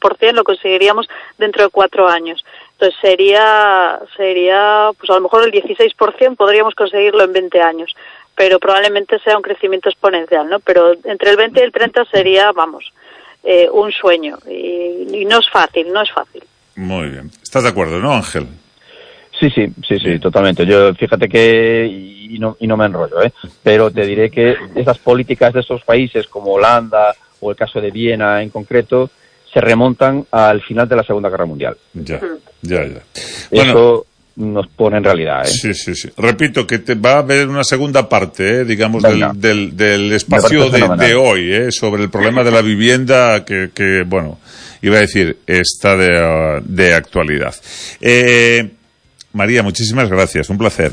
26%, lo conseguiríamos dentro de 4 años. Entonces sería pues a lo mejor el 16% podríamos conseguirlo en 20 años, pero probablemente sea un crecimiento exponencial, ¿no? Pero entre el 20 y el 30 sería, un sueño, y no es fácil. Muy bien. ¿Estás de acuerdo, no, Ángel? Sí, totalmente. Yo, fíjate que, y no me enrollo, pero te diré que esas políticas de esos países como Holanda o el caso de Viena en concreto se remontan al final de la Segunda Guerra Mundial. Ya. Eso nos pone en realidad, Sí. Repito que va a haber una segunda parte, digamos, del espacio de hoy, sobre el problema de la vivienda que iba a decir, está de actualidad. María, muchísimas gracias, un placer.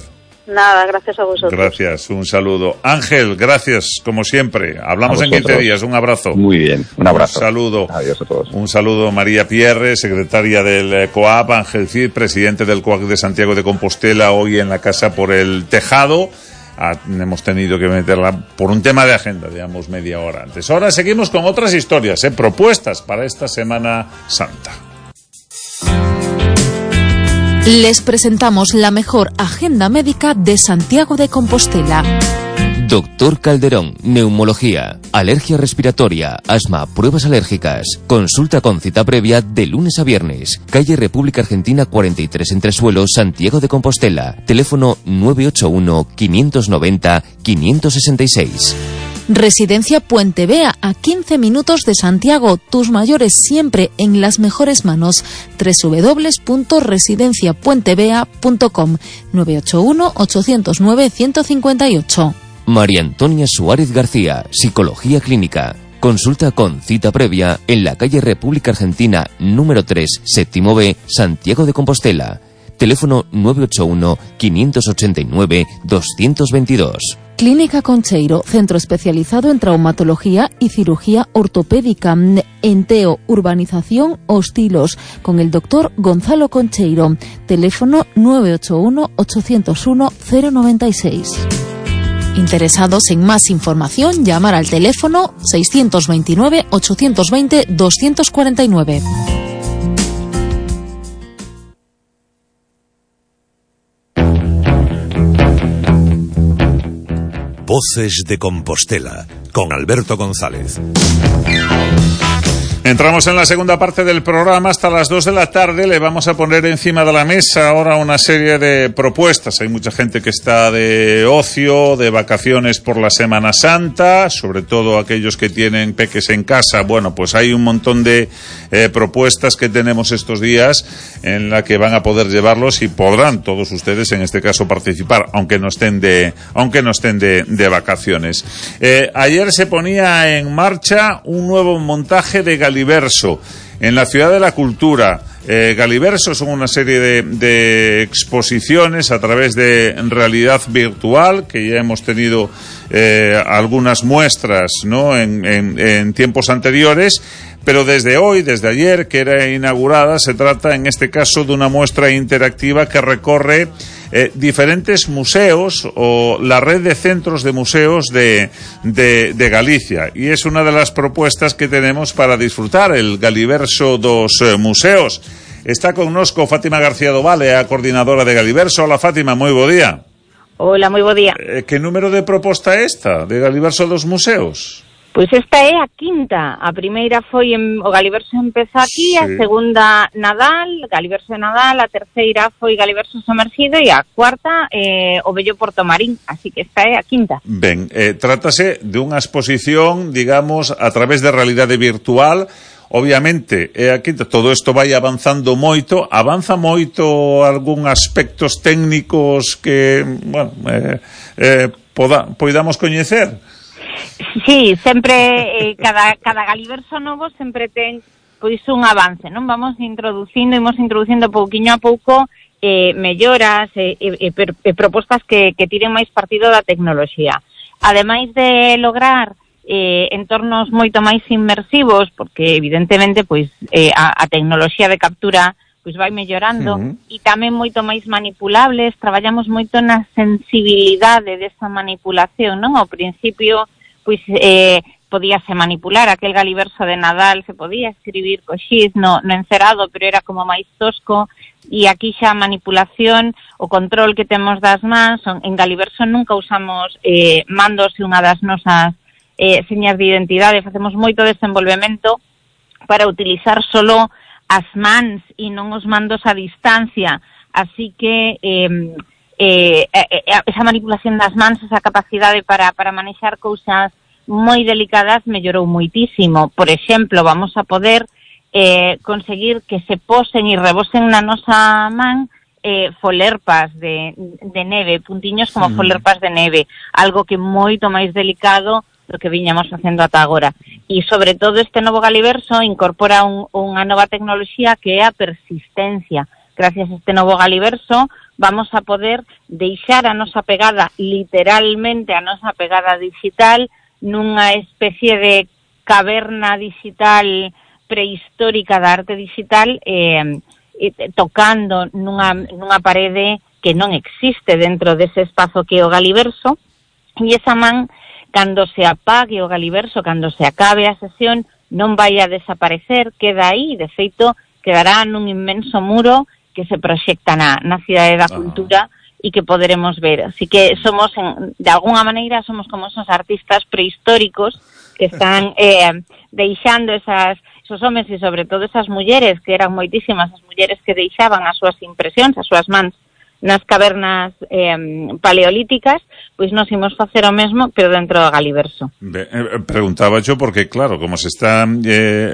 Nada, gracias a vosotros. Gracias, un saludo. Ángel, gracias, como siempre. Hablamos en 15 días, un abrazo. Muy bien, un abrazo. Un saludo. Adiós a todos. Un saludo, María Pierre, secretaria del COAP, Ángel Cid, presidente del COAC de Santiago de Compostela, hoy en la Casa por el Tejado. Hemos tenido que meterla por un tema de agenda, digamos, media hora antes. Ahora seguimos con otras historias, propuestas para esta Semana Santa. Les presentamos la mejor agenda médica de Santiago de Compostela. Doctor Calderón, neumología, alergia respiratoria, asma, pruebas alérgicas. Consulta con cita previa de lunes a viernes. Calle República Argentina 43 Entresuelo, Santiago de Compostela. Teléfono 981-590-566. Residencia Puente Vea, a 15 minutos de Santiago. Tus mayores siempre en las mejores manos. www.residenciapuentevea.com 981-809-158. María Antonia Suárez García, Psicología Clínica. Consulta con cita previa en la calle República Argentina número 3, séptimo B, Santiago de Compostela. Teléfono 981-589-222. Clínica Concheiro, centro especializado en traumatología y cirugía ortopédica. Enteo, urbanización Hostilos, con el doctor Gonzalo Concheiro. Teléfono 981-801-096. Interesados en más información, llamar al teléfono 629-820-249. Voces de Compostela, con Alberto González. Entramos en la segunda parte del programa. Hasta las 2 de la tarde le vamos a poner encima de la mesa ahora una serie de propuestas. Hay mucha gente que está de ocio, de vacaciones por la Semana Santa, sobre todo aquellos que tienen peques en casa. Bueno, pues hay un montón de propuestas que tenemos estos días en la que van a poder llevarlos y podrán todos ustedes, en este caso, participar, aunque no estén de vacaciones. Ayer se ponía en marcha un nuevo montaje de Galiverso en la Ciudad de la Cultura. Galiverso son una serie de exposiciones a través de realidad virtual, que ya hemos tenido algunas muestras, ¿no?, en tiempos anteriores, pero desde ayer, que era inaugurada, se trata en este caso de una muestra interactiva que recorre diferentes museos o la red de centros de museos de Galicia, y es una de las propuestas que tenemos para disfrutar el Galiverso dos museos. Está connosco Fátima García Dovale, a coordinadora de Galiverso. Hola, Fátima, moi bo día. Hola, moi bo día. Que número de proposta é esta de Galiverso dos museos? Pois esta é a quinta. A primeira foi o Galiverso empeza aquí, sí. A segunda Nadal, Galiverso de Nadal, a terceira foi Galiverso Somerxido e a cuarta o Bello Portomarín, así que esta é a quinta. Ben, trátase de unha exposición, digamos, a través de realidade virtual. Obviamente, aquí todo isto vai avanzando moito. Avanza moito algún aspectos técnicos que, bueno, podamos coñecer? Sí, sempre cada Galiverso novo sempre ten pois un avance, non? Imos introducindo pouquiño a pouco melloras e propostas que tiren máis partido da tecnoloxía. Ademais de lograr entornos moito máis inmersivos, porque evidentemente pois a tecnoloxía de captura pois vai mellorando, e tamén moito máis manipulables. Traballamos moito na sensibilidade desa manipulación, non? Ao principio pois podíase manipular, aquel galiverso de Nadal se podía escribir co xiz no encerado, pero era como máis tosco, e aquí xa a manipulación, o control que temos das mans, en galiverso nunca usamos mandos e unha das nosas señas de identidade, facemos moito desenvolvemento para utilizar solo as mans e non os mandos a distancia, así que esa manipulación das mans, esa capacidade para manexar cousas moi delicadas mellorou moitísimo. Por exemplo, vamos a poder conseguir que se posen e rebosen na nosa man folerpas de neve, puntiños como folerpas de neve, algo que moito máis delicado do que viñamos facendo ata agora. E, sobre todo, este novo galiverso incorpora unha nova tecnoloxía que é a persistencia. Gracias a este novo galiverso vamos a poder deixar a nosa pegada, literalmente a nosa pegada digital, nunha especie de caverna digital prehistórica da arte digital, tocando nunha parede que non existe dentro dese espazo que é o galiverso, e esa man, cando se apague o galiverso, cando se acabe a sesión, non vai a desaparecer, queda aí, de feito, quedará nun inmenso muro que se proxecta na Cidade da Cultura, e que poderemos ver. Así que somos, de alguna maneira, somos como esos artistas prehistóricos que están deixando esos homes e sobre todo esas mulleres, que eran moitísimas as mulleres que deixaban as súas impresións, as súas mans nas cavernas paleolíticas, pois nos imos facer o mesmo, pero dentro do galiverso. Preguntaba yo porque, claro, como se están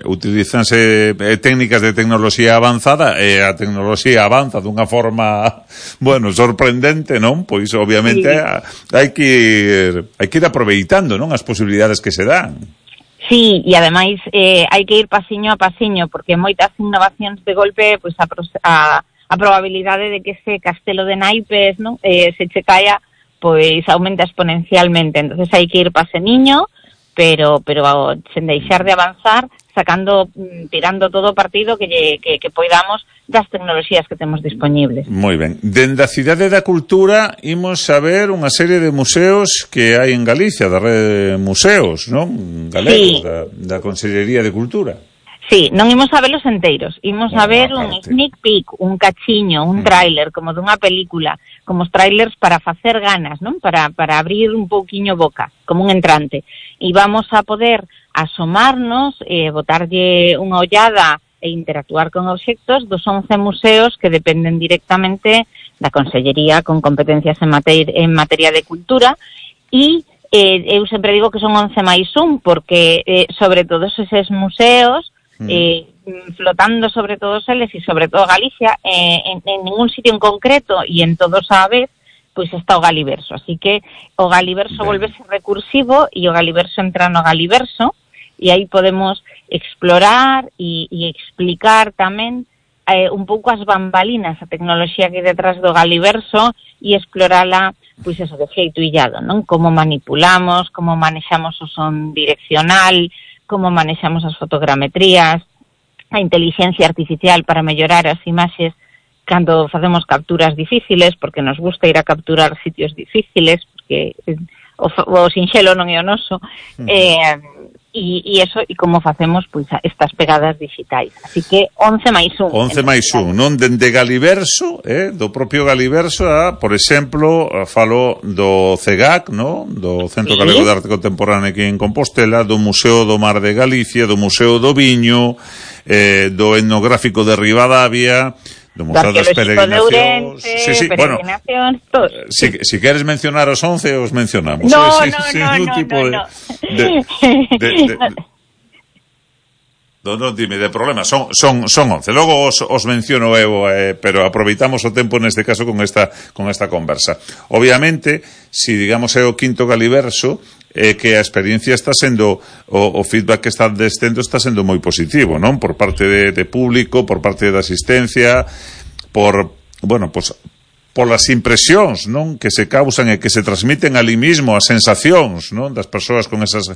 utilizanse técnicas de tecnoloxía avanzada, a tecnoloxía avanza dunha forma, bueno, sorprendente, non? Pois, obviamente, hai que ir aproveitando, non? As posibilidades que se dan. Sí, e ademais hai que ir pasiño a pasiño, porque moitas innovacións de golpe, pois a probabilidade de que ese castelo de naipes, non, se che caia, pois aumenta exponencialmente. Entonces hai que ir paseniño, pero sen deixar de avanzar, tirando todo o partido que poidamos das tecnoloxías que temos dispoñibles. Moi ben. Dende a Cidade da Cultura imos a ver unha serie de museos que hai en Galicia, da rede de museos, non? Galegos, da Consellería de Cultura. Sí, non imos a velos enteiros, imos a ver un sneak peek, un cachiño, un tráiler, como dunha película, como os tráilers para facer ganas, non? Para abrir un pouquiño boca, como un entrante. E vamos a poder asomarnos, botarlle unha ollada e interactuar con obxectos dos 11 museos que dependen directamente da Consellería con competencias en materia de cultura, e eu sempre digo que son 11 máis 1, porque sobre todos eses museos, flotando sobre todos eles e sobre todo Galicia, en ningún sitio en concreto e en todos a vez, pois está o galiverso. Así que o galiverso volvese recursivo e o galiverso entra no galiverso, e aí podemos explorar e explicar tamén un pouco as bambalinas, a tecnoloxía que hai detrás do galiverso, e explorala, pois eso, de xeito illado, non? Como manipulamos, como manexamos o son direccional, como manexamos as fotogrametrías, a inteligencia artificial para mellorar as imaxes cando facemos capturas difíciles, porque nos gusta ir a capturar sitios difíciles, porque o sinxelo non é o noso, e eso, e como facemos pois estas pegadas digitais. Así que 11 máis 1. 11 máis 1, non? Dende Galiverso, do propio Galiverso, por exemplo, falo do CEGAC, non? Do Centro Galego de Arte Contemporánea aquí en Compostela, do Museo do Mar de Galicia, do Museo do Viño, do Etnográfico de Ribadavia, do Museo das Peregrinacións, peregrinacións, todos. Si queres mencionar os 11, os mencionamos. No. Non, dime, de problema, son 11. Logo os menciono eu, pero aproveitamos o tempo neste caso con esta conversa. Obviamente, si digamos é o quinto Galiverso, que a experiencia está sendo, o feedback que está destendo está sendo moi positivo, non? Por parte de público, por parte da asistencia, por as impresións, non? Que se causan e que se transmiten ali mismo, as sensacións, non? Das persoas con esas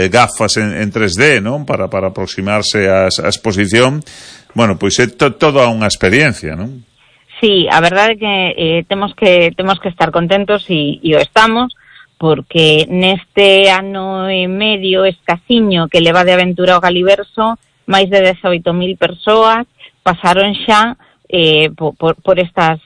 gafas en 3D, non? Para aproximarse á exposición. Bueno, pois é toda unha experiencia, non? Sí, a verdade é que temos que estar contentos e o estamos, porque neste ano e medio escasiño que leva de aventura ao Galiverso, máis de 18.000 persoas pasaron xa por estas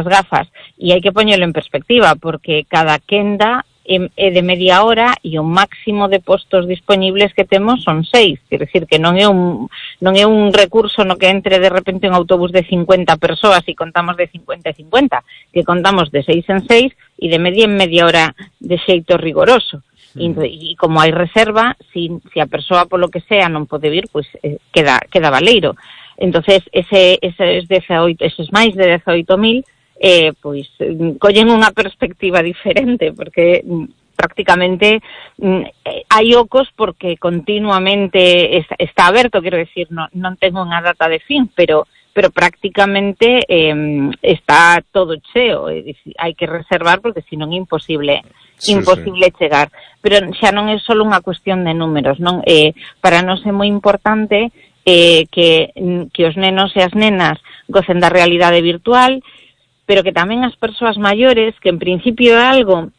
gafas, e hai que poñelo en perspectiva, porque cada quenda é de media hora e o máximo de postos disponibles que temos son 6, quer decir que non é un recurso no que entre de repente un autobús de 50 persoas e contamos de 50 e 50, que contamos de 6 en 6 e de media en media hora de xeito rigoroso. E como hai reserva, si a persoa polo que sea non pode vir, pois queda baleiro. Entonces eses máis de 18.000 pois collen unha perspectiva diferente, porque prácticamente hai ocos porque continuamente está aberto, quero decir, non tengo unha data de fin, pero prácticamente está todo cheo, hai que reservar porque senón é imposible chegar. Pero xa non é só unha cuestión de números, non? Para nós é moi importante que os nenos e as nenas gocen da realidade virtual, pero que tamén as persoas maiores, que en principio é algo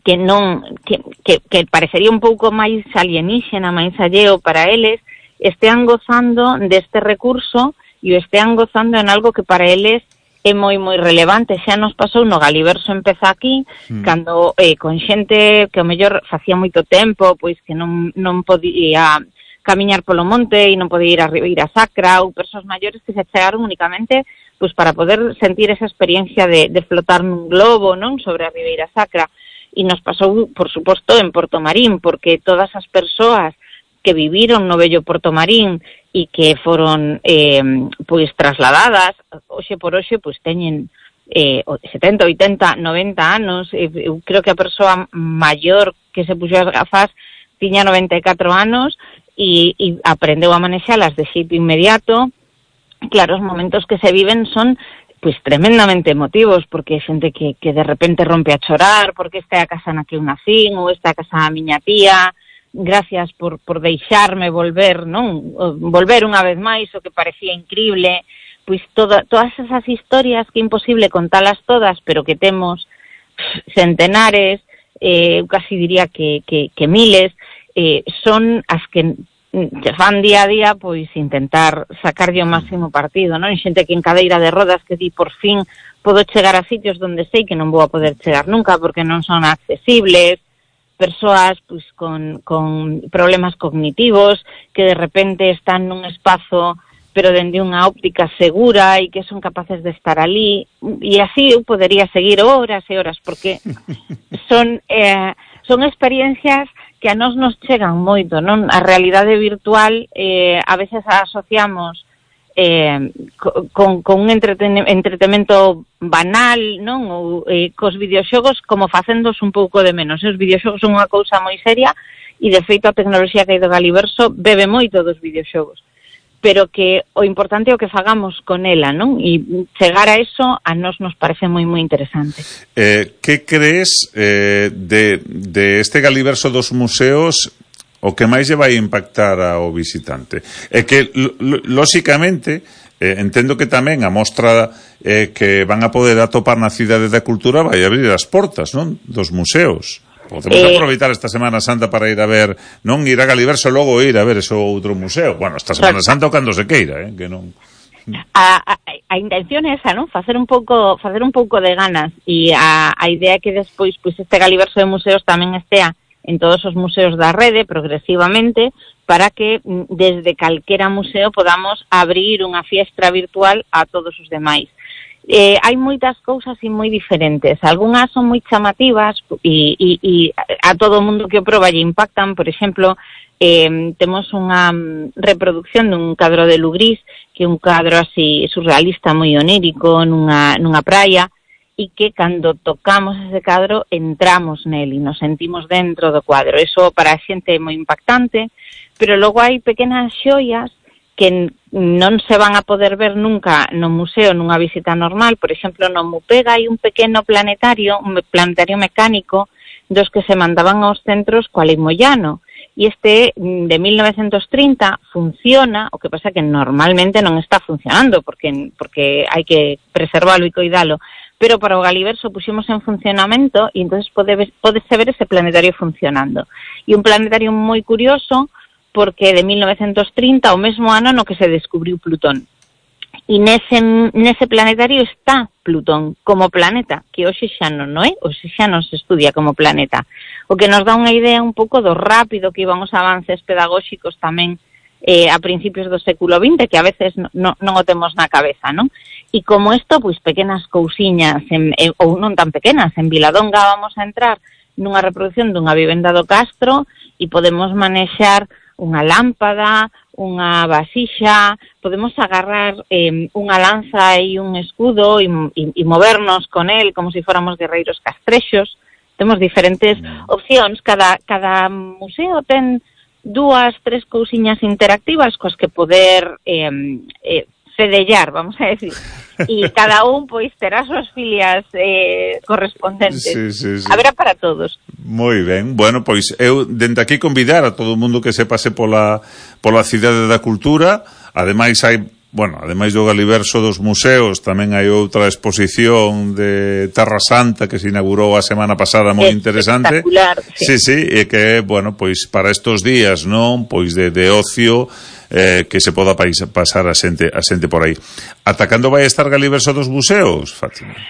que parecería un pouco máis alienígena, máis alleo para eles, estean gozando deste recurso e o estean gozando en algo que para eles é moi relevante. Xa nos pasou no Galiverso empeza aquí, cando con xente que ao mellor facía moito tempo, pois que non podía camiñar polo monte e non podía ir a Ribeira Sacra, ou persoas maiores que se chegaron únicamente pois para poder sentir esa experiencia de flotar nun globo, non, sobre a Ribeira Sacra. E nos pasou, por suposto, en Portomarín, porque todas as persoas que viviron no bello Portomarín e que foron pois trasladadas, hoxe por hoxe pois teñen 70, 80, 90 anos. Eu creo que a persoa maior que se puxo as gafas tiña 94 anos e aprendeu a manexalas de xeito inmediato. Claro, os momentos que se viven son pois tremendamente emotivos, porque hai xente que de repente rompe a chorar, porque esta é a casa na que eu nacín, ou esta é a casa da miña tía, gracias por deixarme volver, non? Volver unha vez máis, o que parecía increíble. Pois todas esas historias que é imposible contalas todas, pero que temos centenares, eu casi diría que miles, son as que se fan día a día, pois intentar sacarlle o máximo partido, non? Xente que en cadeira de rodas que di por fin podo chegar a sitios donde sei que non vou a poder chegar nunca porque non son accesibles, persoas pois con problemas cognitivos que de repente están nun espazo pero dende unha óptica segura e que son capaces de estar ali, e así eu podería seguir horas e horas, porque son experiencias que a nós nos chegan moito, non? A realidade virtual a veces a asociamos con un entretenimento banal, non? Ou cos videoxogos como facendos un pouco de menos. Os videoxogos son unha cousa moi seria e de feito a tecnoloxía que hai do Galiverso bebe moito dos videoxogos, pero que o importante é o que fagamos con ela, non? E chegar a eso a nós nos parece moi interesante. Que crees de este Galiverso dos museos o que máis lle vai impactar ao visitante? É que, lóxicamente, entendo que tamén a mostra que van a poder atopar na Cidade da Cultura vai abrir as portas, non? Dos museos. Podemos aproveitar esta Semana Santa para ir a ver, non ir a Galiverso e logo ir a ver ese outro museo. Bueno, esta Semana Santa o cando se queira, que non... A intención é esa, non? Facer un pouco de ganas, e a idea é que despois pois este Galiverso de museos tamén estea en todos os museos da rede progresivamente, para que desde calquera museo podamos abrir unha fiestra virtual a todos os demais. Hai moitas cousas e moi diferentes. Algúnas son moi chamativas e a todo o mundo que o proba lle impactan. Por exemplo, temos unha reproducción dun cadro de Lugrís, que é un cadro así surrealista, moi onírico, nunha praia, e que cando tocamos ese cadro entramos nel e nos sentimos dentro do cuadro. Eso para a xente é moi impactante, pero logo hai pequenas xoias que non se van a poder ver nunca no museo nunha visita normal. Por exemplo, no Mupega hai un pequeno planetario, un planetario mecánico, dos que se mandaban aos centros coa Lei Moyano, e este de 1930 funciona, o que pasa que normalmente non está funcionando porque hai que preservalo e coidalo, pero para o Galiverso puxemos en funcionamento e entonces podese ver ese planetario funcionando. E un planetario moi curioso porque de 1930, o mesmo ano no que se descubriu Plutón. E nese planetario está Plutón como planeta, que hoxe xa non é, hoxe xa non se estudia como planeta. O que nos dá unha idea un pouco do rápido que iban os avances pedagóxicos tamén a principios do século XX, que a veces non o temos na cabeza, non? E como isto, pois pequenas cousiñas, ou non tan pequenas, en Viladonga vamos a entrar nunha reproducción dunha vivenda do Castro e podemos manexar unha lámpada, unha vasixa, podemos agarrar unha lanza e un escudo e movernos con el como se fóramos guerreiros castrexos. Temos diferentes opcións. Cada museo ten 2, 3 cousiñas interactivas coas que poder fedellar, vamos a decir. E cada un pois terá as súas filias correspondentes. Sí. Haberá para todos. Moi ben. Bueno, pois eu dende aquí convidar a todo o mundo que se pase pola Cidade da Cultura. Ademais ademais do Galiverso dos museos, tamén hai outra exposición de Terra Santa que se inaugurou a semana pasada moi interesante. Espectacular. Sí, e que, bueno, pois para estos días, non? Pois de ocio, que se poda pasar a xente por aí. Ata cando vai estar Galiverso dos museos, Fátima?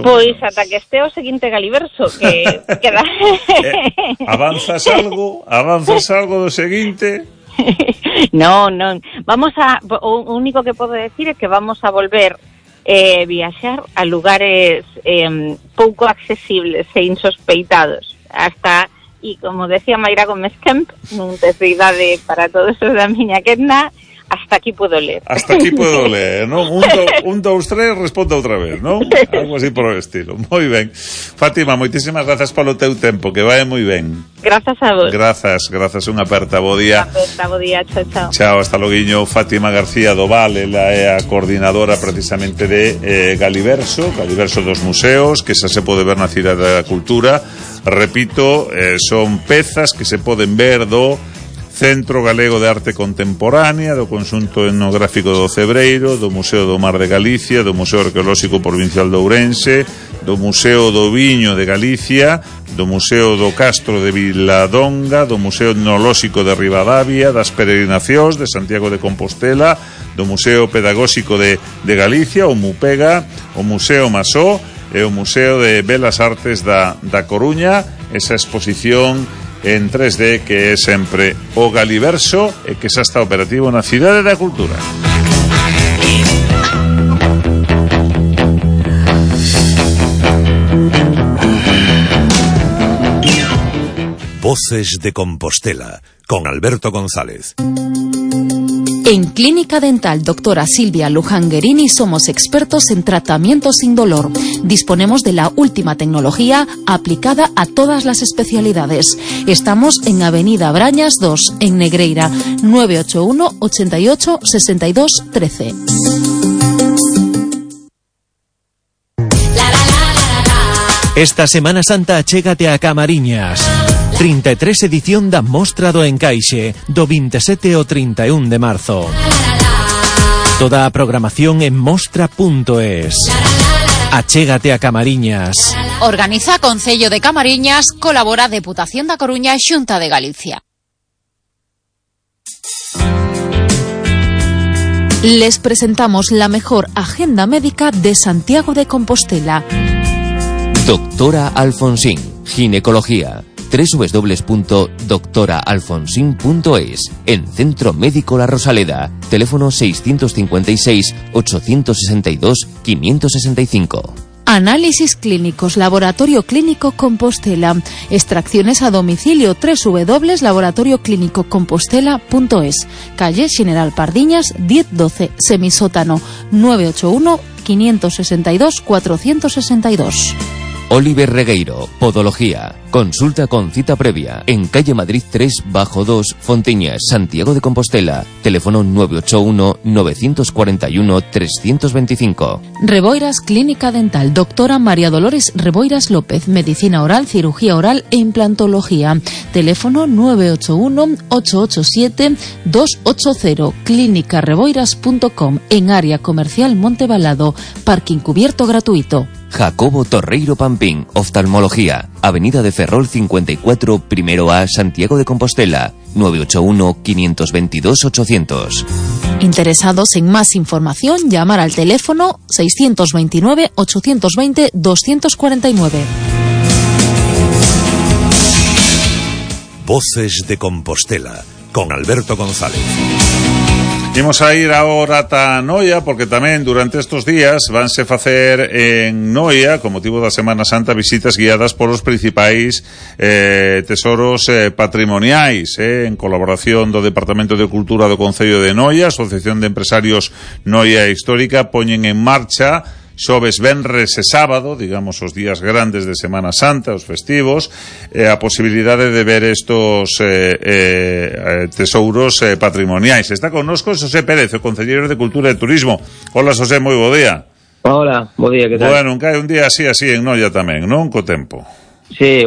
Pois ata que este o seguinte Galiverso que queda. Avanzas algo do seguinte? Non. O único que podo decir é que vamos a volver viaxar a lugares pouco accesibles e insospeitados. E como decía Mayra Gómez Kemp, nun texto de idade para todos os da miña quenda, hasta aquí puedo ler. Hasta aquí puedo ler, non? 1, 2, 3, responda outra vez, non? Algo así por o estilo. Moi ben. Fátima, moitísimas grazas polo teu tempo, que vai moi ben. Grazas a vos. Grazas, unha aperta, bo día. Bo día, chao. Chao, hasta loguiño. Fátima García do Val, ela é a coordinadora precisamente de Galiverso dos museos, que xa se pode ver na Cidade da Cultura. Repito, son pezas que se poden ver do Centro Galego de Arte Contemporánea, do Conxunto Etnográfico do Cebreiro, do Museo do Mar de Galicia, do Museo Arqueolóxico Provincial de Ourense, do Museo do Viño de Galicia, do Museo do Castro de Viladonga, do Museo Etnolóxico de Ribadavia, das Peregrinacións de Santiago de Compostela, do Museo Pedagóxico de Galicia, o MUPEGA, o Museo Masó e o Museo de Belas Artes da Coruña. Esa exposición en 3D que é sempre o Galiverso e que xa está operativo na Cidade da Cultura. Voces de Compostela con Alberto González. En Clínica Dental Doctora Silvia Luján Guerini somos expertos en tratamiento sin dolor. Disponemos de la última tecnología aplicada a todas las especialidades. Estamos en Avenida Brañas 2, en Negreira, 981 88 62 13. Esta Semana Santa achégate a Camariñas. 33 edición da Mostra do Encaixe, do 27 ao 31 de marzo. Toda a programación en mostra.es. Achégate a Camariñas. Organiza Concello de Camariñas, colabora Deputación da Coruña e Xunta de Galicia. Les presentamos la mejor agenda médica de Santiago de Compostela. Doctora Alfonsín, ginecología. www.doctoraalfonsín.es. En Centro Médico La Rosaleda. Teléfono 656 862 565. Análisis clínicos, Laboratorio Clínico Compostela. Extracciones a domicilio, www.laboratorioclinicocompostela.es. Calle General Pardiñas 1012, semisótano 981 562 462. Oliver Regueiro, Podología. Consulta con cita previa en calle Madrid 3/2, Fonteñas, Santiago de Compostela. Teléfono 981-941-325. Reboiras Clínica Dental. Doctora María Dolores Reboiras López. Medicina oral, cirugía oral e implantología. Teléfono 981-887-280. Clínicareboiras.com. En área comercial Montebalado. Parking cubierto gratuito. Jacobo Torreiro Pampín, Oftalmología. Avenida de Ferrol 54, primero A, Santiago de Compostela. 981-522-800. Interesados en más información, llamar al teléfono 629-820-249. Voces de Compostela, con Alberto González. Imos a ir ahora ata Noia, porque tamén durante estes días vanse facer en Noia, con motivo da Semana Santa, visitas guiadas polos principais tesoros patrimoniais, en colaboración do Departamento de Cultura do Concello de Noia. Asociación de Empresarios Noia Histórica poñen en marcha xoves, venres e sábado, digamos os días grandes de Semana Santa, os festivos, a posibilidade de ver estos tesouros patrimoniais. Está connosco Xosé Pérez, o concelleiro de Cultura e Turismo. Hola, Xosé, moi bo día. Hola, bo día, que tal? Bueno, un día así en Noia tamén, non? Co tempo. Sí,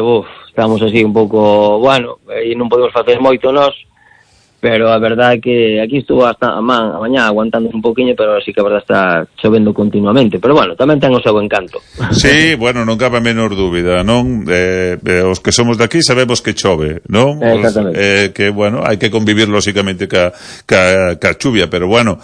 estamos así un pouco, bueno, e non podemos facer moito nós, pero a verdade é que aquí estuvo hasta a mañá aguantando un poquinho, pero así que a verdade está chovendo continuamente, pero bueno, tamén ten o seu encanto. Sí, bueno, non cabe a menor dúbida, non? Os que somos de aquí sabemos que chove, non? Exactamente. Que, bueno, hai que convivir lóxicamente ca chuvia, pero bueno,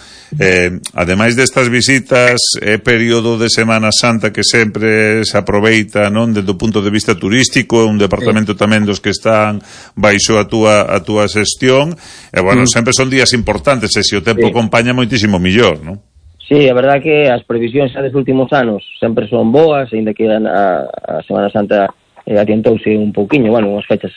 ademais destas visitas, é período de Semana Santa que sempre se aproveita, non? Desde o punto de vista turístico, un departamento tamén dos que están baixo a túa xestión. E bueno, sempre son días importantes, e se o tempo acompaña moitísimo millor, non? Sí, a verdade que as previsións xa dos últimos anos sempre son boas, ainda que a Semana Santa adiantouse un pouquiño, bueno, unhas fechas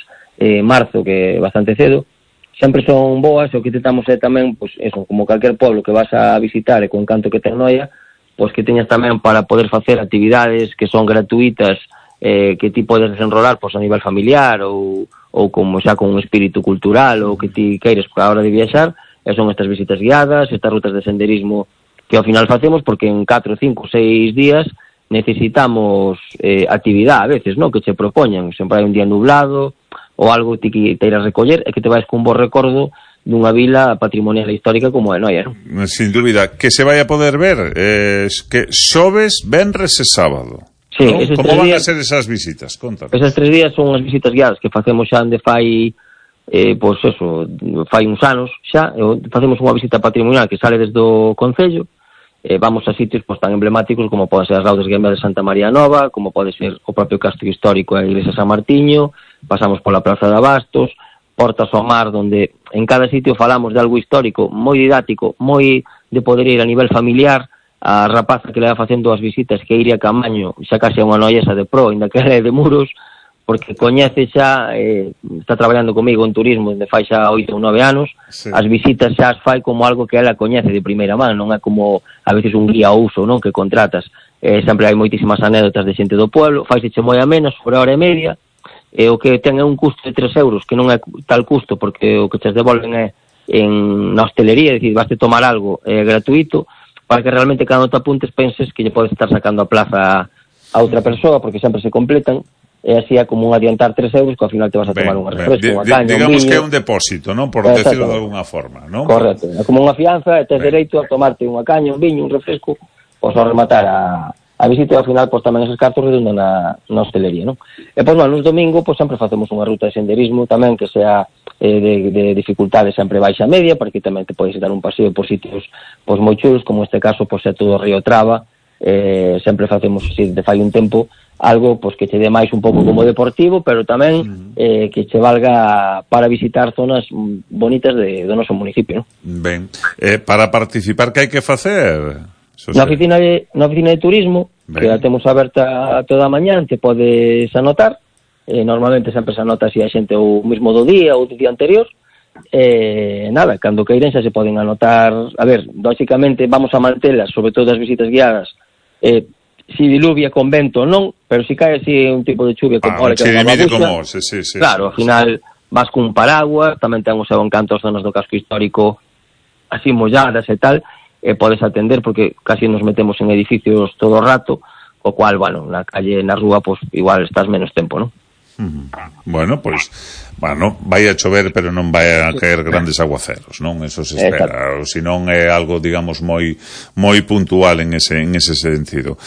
marzo, que é bastante cedo, sempre son boas, e o que tentamos é tamén, pois, eso, como calquer pueblo que vas a visitar e con canto que ten Noia, pois que teñas tamén para poder facer actividades que son gratuitas, que ti podes desenrolar, pois, a nivel familiar ou como xa con un espírito cultural ou que ti queires a hora de viaxar, e son estas visitas guiadas, estas rutas de senderismo que ao final facemos, porque en 4, 5, 6 días necesitamos actividade a veces, non? Que che propoñan, sempre hai un día nublado ou algo que te irás recoller e que te vais con un bo recordo dunha vila patrimonial e histórica como é Noia, non? Sin dúbida, que se vai a poder ver que xoves, venres e sábado. Sí, ¿no? Como van a ser esas visitas? Contanos. Esas 3 días son as visitas guiadas que facemos xa onde fai fai uns anos xa, facemos unha visita patrimonial que sale desde o Concello, vamos a sitios tan emblemáticos como poden ser as Laudes Guiambas de Santa María Nova, como pode ser o propio Castro Histórico e a Iglesia San Martiño, pasamos pola Praza de Abastos, Portas ao Mar, donde en cada sitio falamos de algo histórico, moi didáctico, moi de poder ir a nivel familiar. A rapaza que le va facendo as visitas, que Iria Camaño, xa case unha noiesa de pro, ainda que é de Muros, porque coñece xa, está traballando comigo en turismo desde fai xa 8 ou 9 anos, sí. As visitas xa as fai como algo que ela coñece de primeira man, non é como a veces un guía ao uso, non? Que contratas. Sempre hai moitísimas anécdotas de xente do pueblo, faiseche moi a menos, sobre hora e media, e o que ten é un custo de 3 euros, que non é tal custo, porque o que te devolven é na hostelería, é dicir, vaste tomar algo gratuito, para que realmente cada te apuntes penses que lle podes estar sacando a plaza a outra persoa, porque sempre se completan, e así é como un adiantar 3 euros que ao final te vas a tomar un refresco, unha caña, digamos un viño. Que é un depósito, non? Por decirlo de alguna forma, non? Correcto, é como unha fianza e tes dereito a tomarte unha caña, un viño, un refresco, pois ao rematar a visita, ao final pois tamén esos cartos redundan na hostelería, non? E pois nos domingo pois sempre facemos unha ruta de senderismo tamén que sea de dificultade sempre baixa media, porque tamén te podes dar un paseo por sitios pois moi chulos, como este caso pois é todo o Río Traba, sempre facemos así de fai un tempo algo pois que che dé máis un pouco como deportivo, pero tamén que che valga para visitar zonas bonitas do noso municipio, non? Ben, para participar que hai que facer? Na oficina de turismo, ben, que a temos aberta toda a mañá, te podes anotar. Normalmente sempre se anota así a xente o mismo do día ou do día anterior, nada, cando queiren xa se poden anotar. A ver, lógicamente vamos a mantelas, sobre todo as visitas guiadas, si diluvia con vento non, pero si cae así un tipo de chuvia como un chirimiri como, sí. Claro, ao final vas cun paraguas, tamén ten o seu encanto as zonas do casco histórico así molladas e tal, e podes atender porque casi nos metemos en edificios todo o rato, o cual, bueno, na calle, na rúa, pues igual estás menos tempo, non? Bueno, pois, vai a chover, pero non vai a caer grandes aguaceros, non? Eso se espera, ou senón é algo, digamos, moi puntual en ese sentido.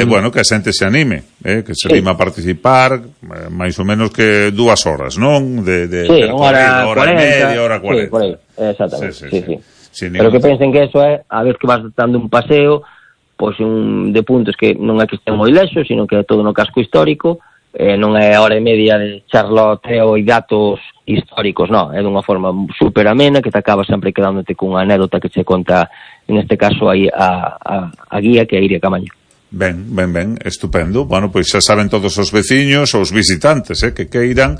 Bueno, que a xente se anime, que se anime a participar, máis ou menos que 2 horas, non? Sí, hora e media, hora 40. Sí, por aí, exactamente, sí. Pero que pensen que eso é, a vez que vas dando un paseo, pois de puntos que non é que estén moi lexos, sino que é todo no casco histórico, non é hora e media de charloteo e datos históricos, non, é dunha forma super amena que te acaba sempre quedándote cunha anécdota que che conta, en este caso, aí a guía que é Iria Camaño. Ben, estupendo. Bueno, pois xa saben todos os veciños, os visitantes, que queiran,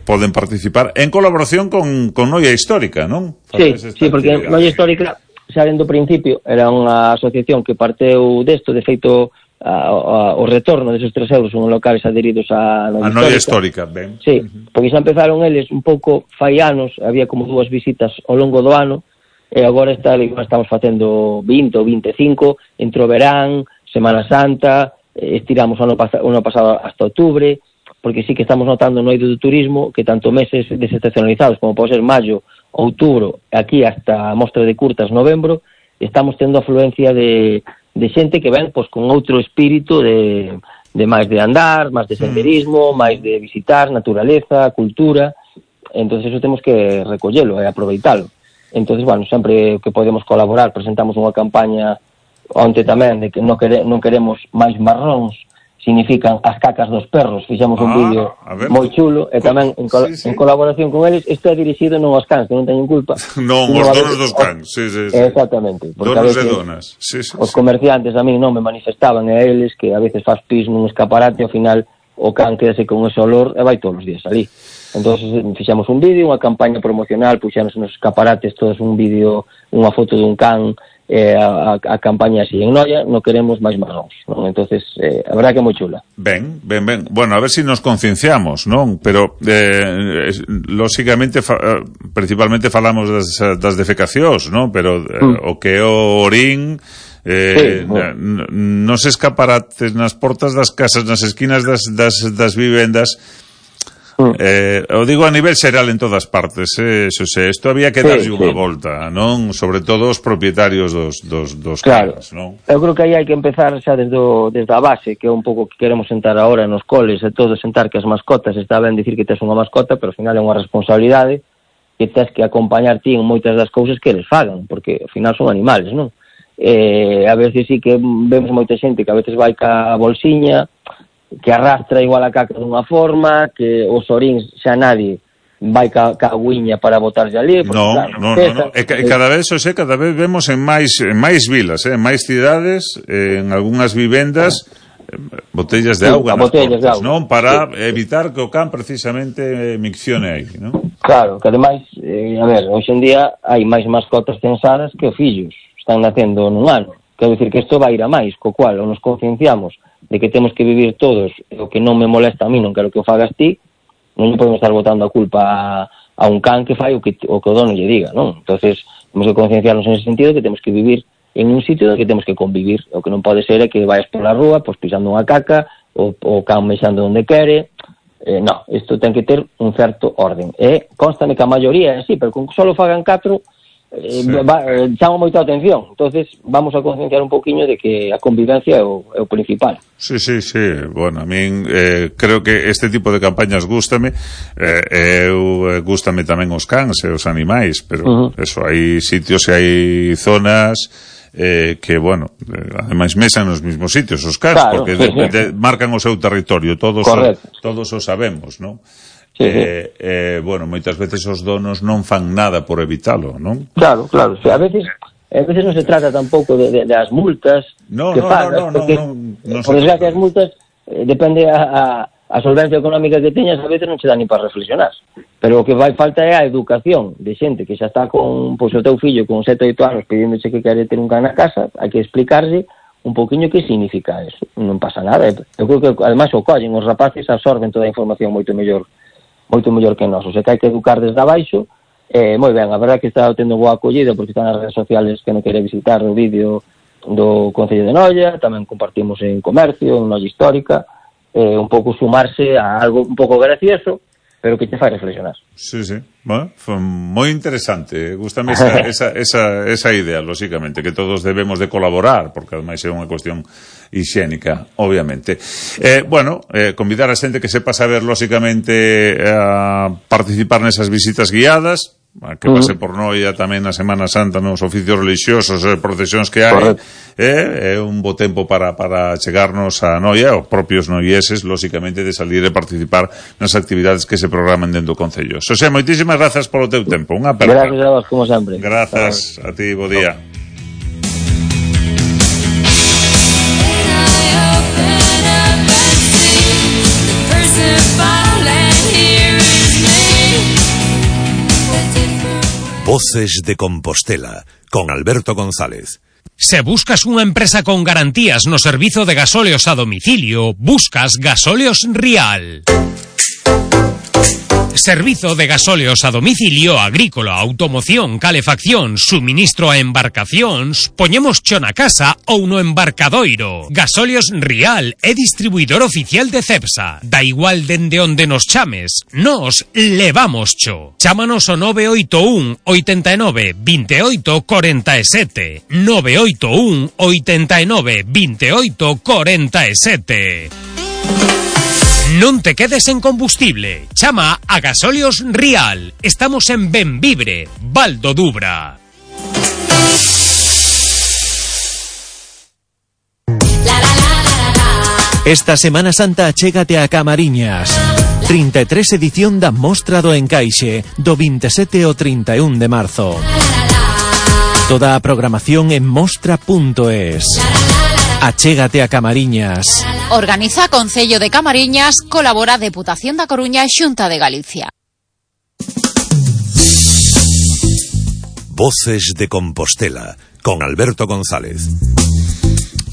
poden participar en colaboración con Noia Histórica, non? Sí, porque Noia Histórica, xa dentro do principio, era unha asociación que parteu desto, de feito, o retorno desos 3 euros son locales adheridos a Noia Histórica, ben. Sí, porque xa empezaron eles un pouco fai anos, había como 2 visitas ao longo do ano, e agora estamos facendo 20 ou 25, entre o verán, Semana Santa, estiramos o ano pasado hasta outubro, porque sí que estamos notando no eido do turismo que tanto meses desestacionalizados como pode ser maio, outubro, aquí hasta a mostra de curtas novembro, estamos tendo afluencia de xente que ven pois con outro espírito de máis de andar, máis de senderismo, máis de visitar naturaleza, cultura. Entonces eso temos que recollelo e aproveitalo. Entonces, bueno, sempre que podemos colaborar, presentamos unha campaña onte tamén de que non queremos máis marróns, significan as cacas dos perros. Fixamos un vídeo moi chulo e tamén en colaboración con eles. Isto é dirixido non aos cans, que non teñen culpa. Non, os donos dos cans, sí. Exactamente. Donos e donas. Os comerciantes a mí non me manifestaban e a eles que a veces faz pis nun escaparate, ao final o can quedase con ese olor e vai todos os días ali. Entón, fixamos un vídeo, unha campaña promocional, puxamos nos escaparates todos un vídeo, unha foto dun can, a campaña así. En Noia non queremos máis marróns, non? Entonces, a verdad que é moi chula. Ben. Bueno, a ver si nos concienciamos, non? Pero, lógicamente, principalmente falamos das defecacións, non? Pero o que é o orín... nos escaparates, nas portas das casas, nas esquinas das vivendas, o digo a nivel xeral en todas partes, eso sei, isto había que darlle unha volta, non? Sobre todo os propietarios dos caras, non? Eu creo que aí hai que empezar xa desde a base, que é un pouco que queremos sentar agora nos coles e todo, sentar que as mascotas, está ben dicir que tes unha mascota, pero ao final é unha responsabilidade que tes que acompañar ti en moitas das cousas que eles fagan, porque ao final son animales, non? A veces sí que vemos moita xente que a veces vai ca bolsiña, que arrastra igual a caca dunha forma, que os oríns xa nadie vai ca agüiña para botarse ali. No. E cada vez vemos en máis vilas, en máis cidades, en algunhas vivendas, botellas de auga nas portas, non? Para evitar que o can precisamente miccione aí, non? Claro, que ademais, a ver, hoxe en día hai máis mascotas censadas que fillos están nacendo nun ano. Quero dicir que isto vai ir a máis, co cual ou nos concienciamos de que temos que vivir todos, o que non me molesta a mí, non quero que o fagas ti, non podemos estar botando a culpa a un can que fai o que o dono lle diga, non? Entonces, temos que concienciarnos en ese sentido que temos que vivir en un sitio no que temos que convivir. O que non pode ser é que vayas pola rúa, pois pisando unha caca, o can mexando onde quere. Non, isto ten que ter un certo orden. Constame que a maioría é así, pero con que só fagan 4, chama moita atención. Entonces vamos a concienciar un poquinho de que a convivencia é o principal. Sí. Bueno, a min creo que este tipo de campañas gústame. Gústame tamén os cans e os animais, pero eso, hai sitios e hai zonas que, bueno, ademais mesan nos mismos sitios os cans, claro, porque marcan o seu territorio, todos o sabemos, non? Bueno, moitas veces os donos non fan nada por evitalo, non? Claro, a veces non se trata tampouco das multas que pagas, porque por desgracia as multas depende a solvencia económica que teñas, a veces non che dá ni para reflexionar, pero o que vai falta é a educación de xente que xa está con, pois, o teu fillo con 7 ou 8 anos pediéndose que quere ter un can na casa, hai que explicarse un pouquiño que significa eso. Non pasa nada. Eu creo que, ademais, o collen, os rapaces absorben toda a información moito mellor que nós. O sea, que hai que educar desde abaixo. Moi ben, a verdade que está tendo boa acollida, porque están nas redes sociales que non quere visitar o vídeo do Concello de Noia, tamén compartimos en Comercio, en Noia Histórica, un pouco sumarse a algo un pouco gracioso, pero que te fai reflexionar. Sí. Bueno, foi moi interesante. Gústame esa idea, lógicamente, que todos debemos de colaborar, porque ademais é unha cuestión hixiénica, obviamente. Convidar a xente que sepa saber, lógicamente, a participar nesas visitas guiadas, que pase por Noia tamén na Semana Santa, nos oficios religiosos e procesións que hai. É un bo tempo para chegarnos a Noia, os propios noieses, lógicamente, de salir e participar nas actividades que se programan dentro do Concello. Xosé, moitísimas grazas polo teu tempo. Unha aperta. Gracias a vos, como sempre. Grazas a ti, bo día. Voces de Compostela, con Alberto González. Se buscas unha empresa con garantías no servizo de gasóleos a domicilio, buscas Gasóleos Rial. Servizo de gasóleos a domicilio, agrícola, automoción, calefacción, suministro a embarcacións, poñemos cho na casa ou no embarcadoiro. Gasóleos Rial é distribuidor oficial de Cepsa. Da igual dende onde nos chames, nos levamos cho. Chámanos o 981 89 28 47. 981 89 28 47. Non te quedes en combustible. Chama a Gasóleos Rial. Estamos en Benvibre, Val do Dubra. Esta Semana Santa achégate a Camariñas. 33 edición da Mostra do Encaixe, do 27 ao 31 de marzo. Toda a programación en mostra.es. Achégate a Camariñas. Organiza Concello de Camariñas, colabora Deputación da Coruña e Xunta de Galicia. Voces de Compostela, con Alberto González.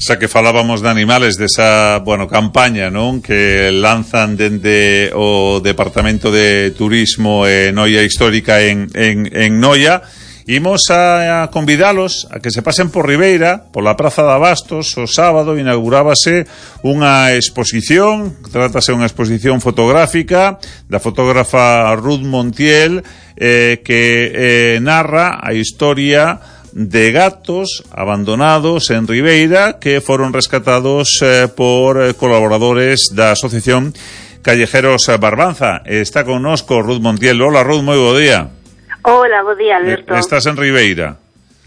Xa que falábamos de animales, desa, campaña, non? Que lanzan dende o Departamento de Turismo e Noia Histórica en Noia. Imos a convidalos a que se pasen por Ribeira, pola Praza de Abastos. O sábado inaugurábase unha exposición, trátase unha exposición fotográfica da fotógrafa Ruth Montiel, que narra a historia de gatos abandonados en Ribeira que foron rescatados por colaboradores da Asociación Callejeros Barbanza. Está connosco Ruth Montiel. Hola, Ruth, moi bo día. Hola, bo día, Alberto. Estás en Ribeira?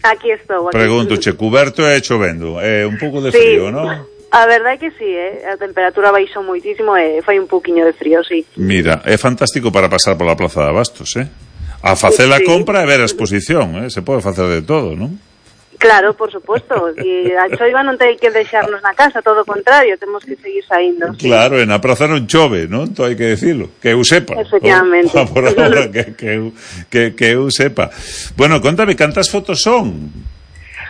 Aquí estou. Preguntoche, cuberto e chovendo. Un pouco de frío, non? A verdade é que sí, a temperatura baixou moitísimo e fai un pouquiño de frío, sí. Mira, é fantástico para pasar pola Praza de Abastos, a facer a compra e ver a exposición, se pode facer de todo, non? Claro, por suposto, e a choiva non ten que deixarnos na casa, todo o contrario, temos que seguir saindo. Claro, en a praza non chove, non? Todo hai que decirlo, que eu sepa. Efectivamente. Por ahora, que eu sepa. Bueno, contame, cantas fotos son?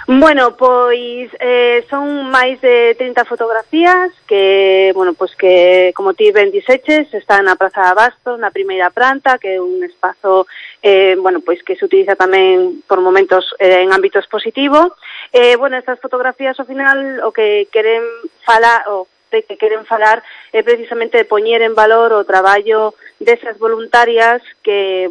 Bueno, pois son máis de 30 fotografías que, que como ti ben dixeches, están na Praza de Abastos, na primeira planta, que é un espazo que se utiliza tamén por momentos en ámbito expositivo. Estas fotografías ao final o que queren falar é precisamente de poñer en valor o traballo desas voluntarias que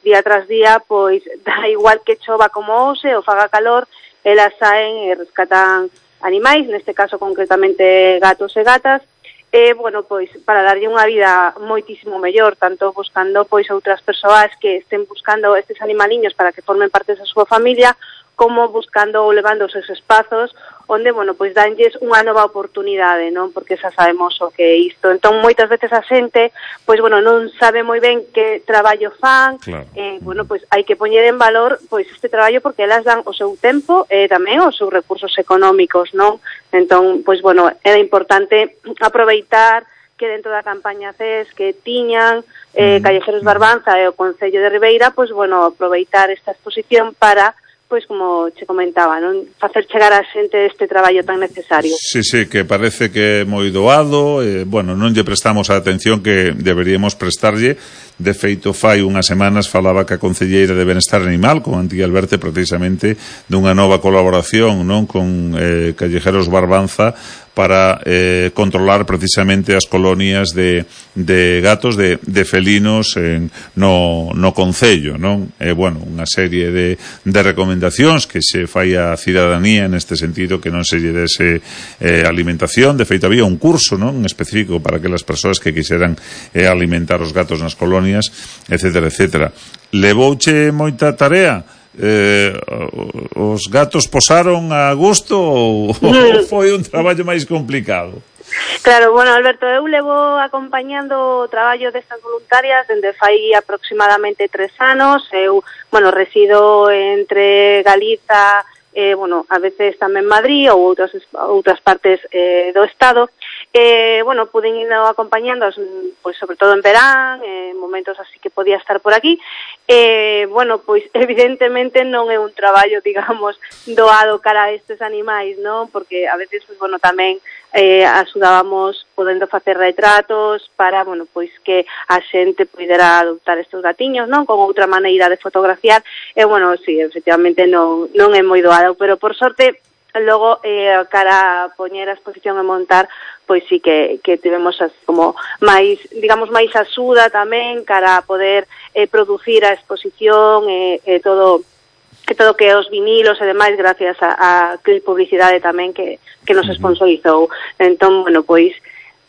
día tras día, pois da igual que chova como hoxe ou faga calor, elas saen e rescatan animais, neste caso concretamente gatos e gatas, para darlle unha vida moitísimo mellor, tanto buscando outras persoas que estén buscando estes animaliños para que formen parte da súa familia, como buscando ou levando os seus espazos onde, danlles unha nova oportunidade, non? Porque xa sabemos o que é isto. Entón, moitas veces a xente, non sabe moi ben que traballo fan, claro. Hai que poñer en valor, este traballo porque elas dan o seu tempo e tamén os seus recursos económicos, non? Entón, era importante aproveitar que dentro da campaña CES que tiñan Callejeros Barbanza e o Concello de Ribeira, aproveitar esta exposición para pois como che comentaba, non facer chegar a xente este traballo tan necesario. Sí, que parece que é moi doado, bueno, non lle prestamos a atención que deberíamos prestarlle. De feito, fai unhas semanas falaba que a Concelleira de Benestar Animal con Antía Alberte precisamente dunha nova colaboración, non, con Callejeros Barbanza para controlar precisamente as colonias de gatos, de felinos no concello, non? Bueno, unha serie de recomendacións que se fai a cidadanía neste sentido, que non se lle dese alimentación. De feito, había un curso, non, específico para que as persoas que quixeran alimentar os gatos nas colonias, etcétera, etcétera. Levouche moita tarea? Os gatos posaron a gusto ou foi un traballo máis complicado? Claro, bueno, Alberto, eu levo acompañando o traballo destas voluntarias dende fai aproximadamente 3 anos. Eu, bueno, resido entre Galiza, bueno, a veces tamén Madrid ou outras partes do Estado. Bueno, pude ir acompañando, pois, sobre todo en verán, momentos así que podía estar por aquí. Bueno, pois, evidentemente non é un traballo, digamos, doado cara a estes animais, non? Porque a veces, pois, bueno, tamén axudábamos podendo facer retratos para, bueno, pois que a xente pudera adoptar estes gatiños, non? Con outra maneira de fotografiar. Bueno, sí, efectivamente non é moi doado, pero por sorte logo cara a poñer a exposición e montar, pois sí que tivemos como máis, digamos, máis axuda tamén cara a poder producir a exposición e todo que os vinilos e demais, gracias a publicidade tamén que nos sponsorizou. Entón, bueno, pois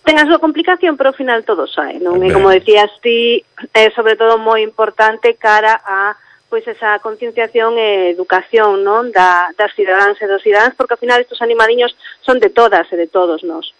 ten a súa complicación, pero ao final todo sae, non? E como decías ti, é sobre todo moi importante cara a pois esa concienciación e educación, non, das cidadáns e dos cidadáns, porque ao final estes animadiños son de todas e de todos nós.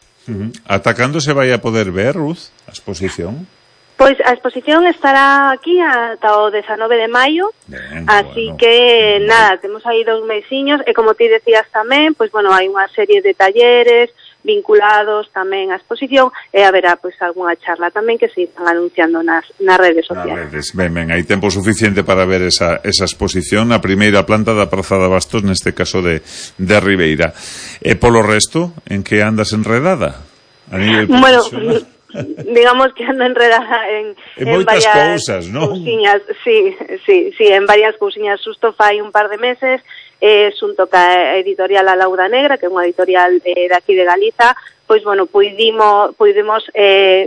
Ata cando se vai a poder ver, Ruth, a exposición? Pois a exposición estará aquí ata o 19 de maio, así que nada, temos aí 2 mesiños, e como ti decías tamén, pois bueno, hai unha serie de talleres vinculados tamén á exposición, e haberá pois algunha charla tamén que se están anunciando nas redes sociais. Ben, hai tempo suficiente para ver esa exposición na primeira planta da Praza de Bastos, neste caso de Ribeira. E polo resto, en que andas enredada? A nivel profesional? Bueno, digamos que ando enredada en moitas cousas, non? Cousiñas, sí, en varias cousiñas. Xusto fai un par de meses, xunto ca editorial A Lauda Negra, que é unha editorial daqui de Galiza, pois, bueno, pudimos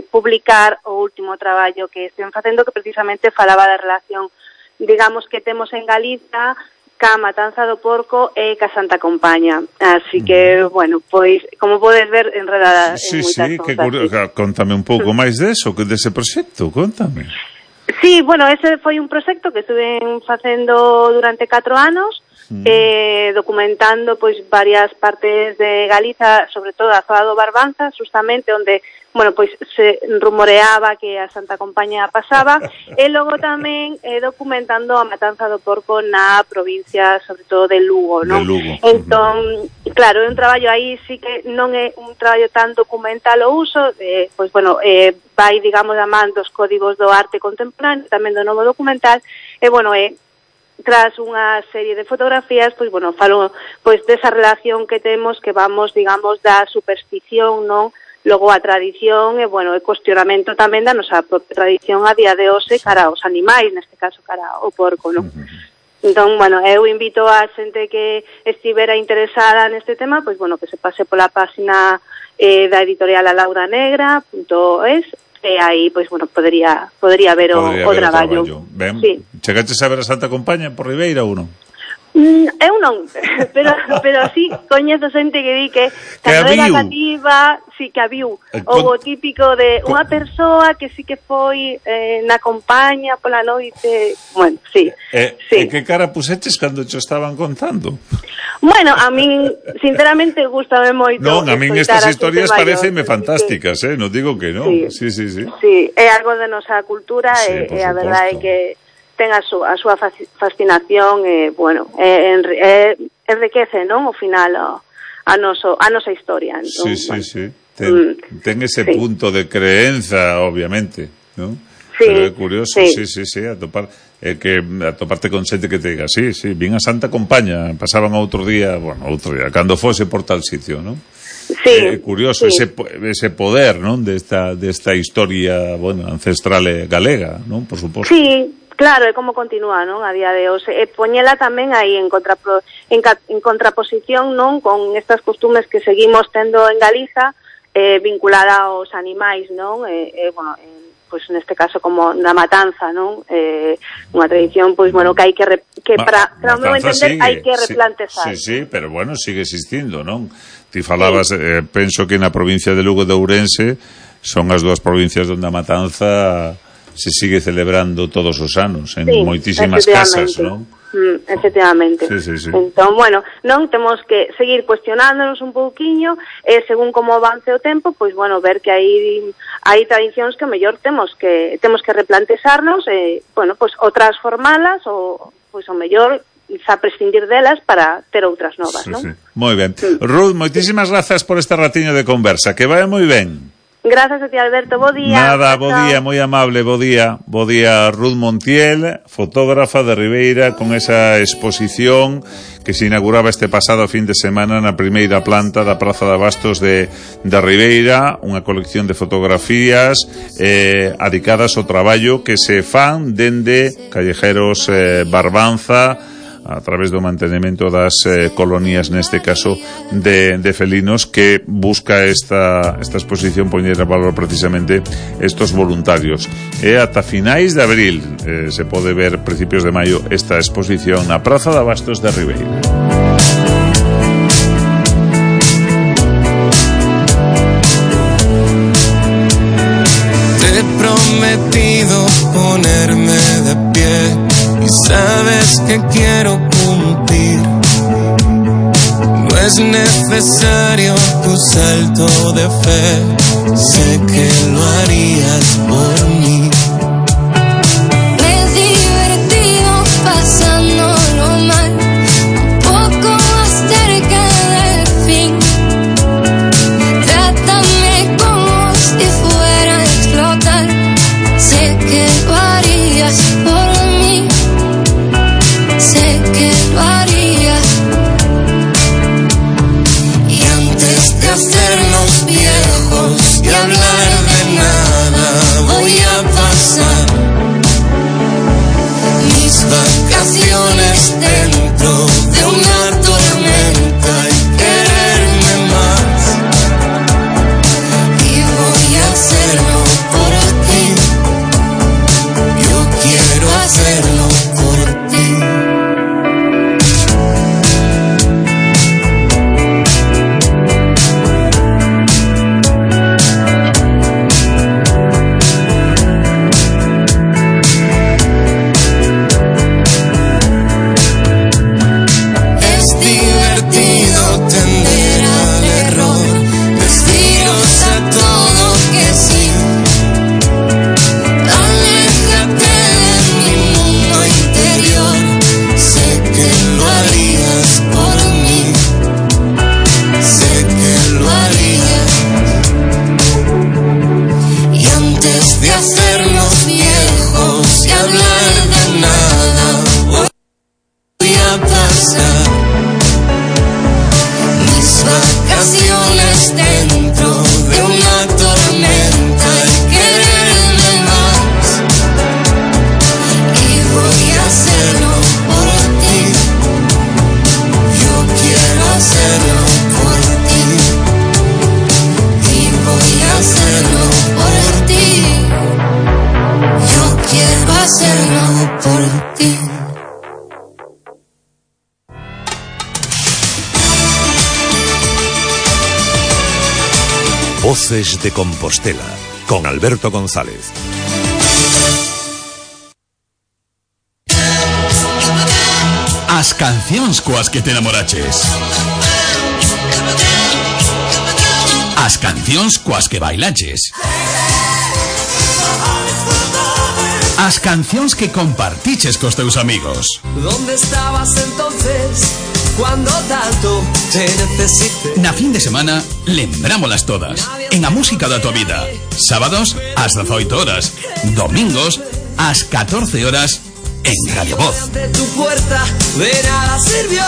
publicar o último traballo que estén facendo, que precisamente falaba da relación, digamos, que temos en Galiza ca matanza do porco e ca Santa Compaña. Así que, bueno, pois, como podes ver, enredada en moitas cousas. Que curioso. Contame un pouco máis dese proxecto, contame. Sí, bueno, ese foi un proxecto que estuve facendo durante 4 anos, documentando pois varias partes de Galiza, sobre todo a zona do Barbanza, justamente onde, bueno, pois se rumoreaba que a Santa Compaña pasaba, e logo tamén documentando a matanza do porco na provincia, sobre todo de Lugo, non? Entón, claro, é un traballo aí, sí que non é un traballo tan documental o uso, pois, bueno, vai, digamos, a man dos códigos do arte contemporáneo, tamén do novo documental, e, bueno, tras unha serie de fotografías, pois, bueno, falo pois desa relación que temos, que vamos, digamos, da superstición, non? Logo a tradición e, bueno, o cuestionamento tamén da nosa propia tradición a día de hoxe cara aos animais, neste caso cara ao porco, non? Entón, bueno, eu invito a xente que estivera interesada neste tema, pois, bueno, que se pase pola página da editorial alaudanegra.es, e aí, pois, bueno, podería ver o traballo. Ben, sí. Chegaches a ver a Santa Compaña por Ribeira ou non? Eu non, pero sí, coñezo xente que di que cando era cativa, sí, que habiu o típico de unha persoa que sí que foi na Compaña pola noite, bueno, sí. E que cara puseches cando cho estaban contando? Bueno, a min, sinceramente, gustame moito. Non, a min estas historias pareceme fantásticas, non digo que non. Sí. Sí, é algo de nosa cultura e a verdade é que ten a súa fascinación e, bueno, enriquece, non, ao final a nosa historia. Entón, sí. Ten ese punto de creenza, obviamente, non? Pero é curioso, sí, atopar. que atoparte con xente que te diga sí, vin a Santa Compaña, pasaban outro día, cando fose por tal sitio, non? Sí, curioso, sí. ese poder, non, desta historia, ancestral galega, non, por suposto. Sí, claro, é como continúa, non, a día de hoxe. E poñela tamén aí en contraposición, non, con estas costumes que seguimos tendo en Galiza, vinculada aos animais, non, pois neste caso como na matanza, non, unha tradición, pois, que hai que para o meu entender, hai que replantezar. Sí, pero sigue existindo, non? Ti falabas, penso que na provincia de Lugo de Ourense son as dúas provincias onde a matanza se sigue celebrando todos os anos en moitísimas casas, non? Efectivamente. Sí. Entón, non temos que seguir cuestionándonos un pouquiño, según como avance o tempo, pois, ver que hai tradicións que mellor temos que replantexarnos, pois, ou transformalas, ou, pois, o mellor a prescindir delas para ter outras novas, non? Sí. Moi ben. Ruth, moitísimas grazas por este ratiño de conversa, que vai moi ben. Gracias a ti, Alberto, bo día. Nada, bo día, moi amable, bo día. Bo día, Ruth Montiel, fotógrafa de Ribeira, con esa exposición que se inauguraba este pasado fin de semana na primeira planta da Praza de Abastos de Ribeira, unha colección de fotografías adicadas ao traballo que se fan dende Callejeros Barbanza, a través do mantenimento das colonias, neste caso de felinos, que busca esta exposición poñer a valor precisamente estos voluntarios. E ata finais de abril se pode ver, principios de maio, esta exposición na Praza de Abastos de Ribeira. Te he prometido ponerme de pie y sabes que quiero cumplir. No es necesario tu salto de fe, sé que lo harías por mí. Me he divertido pasándolo mal, un poco más cerca del fin. Trátame como si fuera a explotar, sé que lo harías por mí. Sé que lo haría. Y antes de hacernos viejos y hablar de nada, voy a pasar mis vacaciones dentro de una tormenta y quererme más. Y voy a hacerlo por ti. Yo quiero hacerlo por ti. Voces de Compostela, con Alberto González. As cancións coas que te enamoraches. As cancións coas que bailaches. As cancións que compartiches cos teus amigos. ¿Dónde estabas entonces cuando tanto te necesité? Na fin de semana, lembrámolas todas. En a música da tua vida. Sábados, ás 18 horas. Domingos, ás 14 horas. en Radio Voz. De tu puerta, ven a la Sirvió.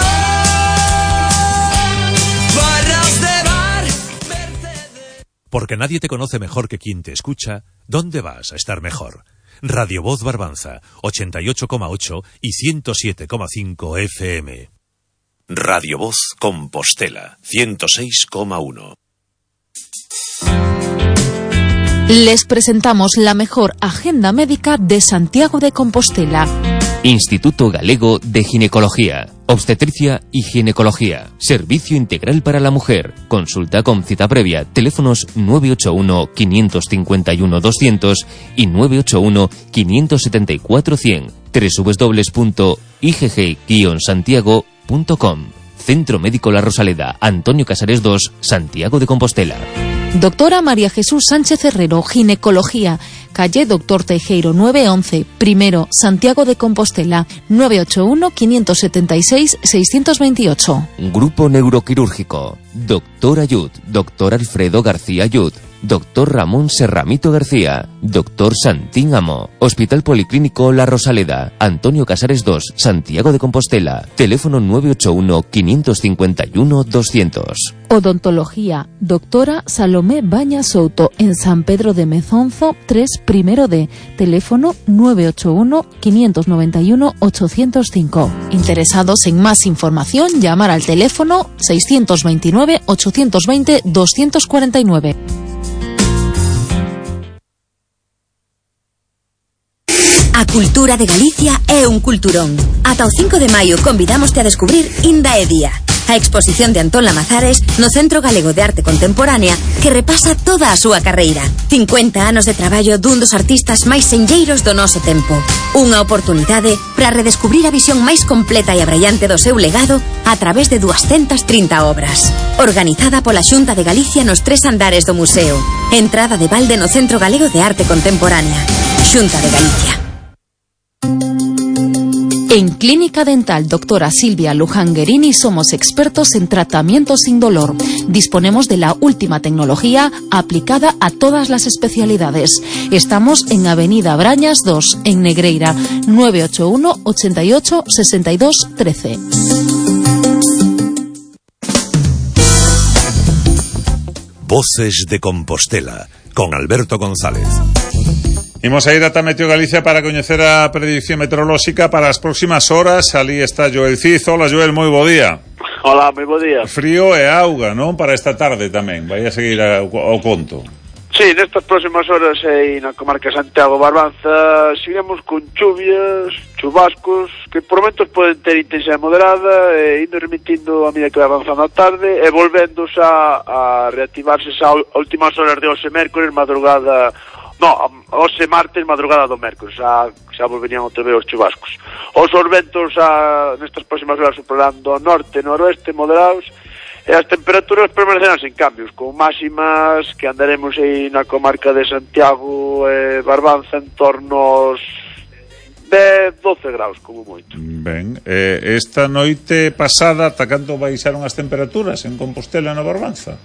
Barras de bar, Porque nadie te conoce mejor que quien te escucha, ¿dónde vas a estar mejor? Radio Voz Barbanza, 88,8 y 107,5 FM. Radio Voz Compostela, 106,1. Les presentamos la mejor agenda médica de Santiago de Compostela. Instituto Galego de Ginecología, Obstetricia y Ginecología. Servicio integral para la mujer. Consulta con cita previa. Teléfonos 981-551-200 y 981-574-100. www.igg-santiago.com. Centro Médico La Rosaleda, Antonio Casares 2, Santiago de Compostela. Doctora María Jesús Sánchez Herrero, Ginecología, calle Doctor Teijeiro 911, primero, Santiago de Compostela, 981-576-628. Grupo Neuroquirúrgico, Doctor Ayud, Doctor Alfredo García Ayud, Doctor Ramón Serramito García, Doctor Santín Amo, Hospital Policlínico La Rosaleda, Antonio Casares 2, Santiago de Compostela, teléfono 981-551-200. Odontología, doctora Salomé Baña Souto, en San Pedro de Mezonzo 3, primero D, teléfono 981-591-805. Interesados en más información, llamar al teléfono 629-820-249. A cultura de Galicia é un culturón. Ata o 5 de maio convidámoste a descubrir Inda e Día, a exposición de Antón Lamazares no Centro Galego de Arte Contemporánea que repasa toda a súa carreira. 50 anos de traballo dun dos artistas máis senlleiros do noso tempo. Unha oportunidade para redescubrir a visión máis completa e abrallante do seu legado a través de 230 obras. Organizada pola Xunta de Galicia nos 3 andares do museo. Entrada de balde no Centro Galego de Arte Contemporánea. Xunta de Galicia. En Clínica Dental Doctora Silvia Luján Guerini somos expertos en tratamiento sin dolor. Disponemos de la última tecnología aplicada a todas las especialidades. Estamos en Avenida Brañas 2, en Negreira, 981 88 62 13. Voces de Compostela, con Alberto González. Imos a ir ata Meteo Galicia para coñecer a predicción meteorolóxica para as próximas horas. Ali está Joel Cid. Hola, Joel, moi bo día. Hola, moi bo día. Frío e auga, non? Para esta tarde tamén. Vai a seguir ao conto. Sí, nestas próximas horas aí na comarca de Santiago Barbanza seguiremos con chuvias, chubascos que por momentos poden ter intensidade moderada e indo remitindo a medida que vai avanzando a tarde e volvéndose a reactivarse a últimas horas de hoxe mércores, madrugada. No, hoxe martes, madrugada do mércores, xa volverían outra vez os chubascos. Os ventos nestas próximas horas soprando ao norte e noroeste moderados, e as temperaturas permanecerán sen cambios, con máximas que andaremos aí na comarca de Santiago e Barbanza en torno aos 10, 12 graus, como moito. Ben, esta noite pasada, ata canto baixaron as temperaturas en Compostela e na Barbanza?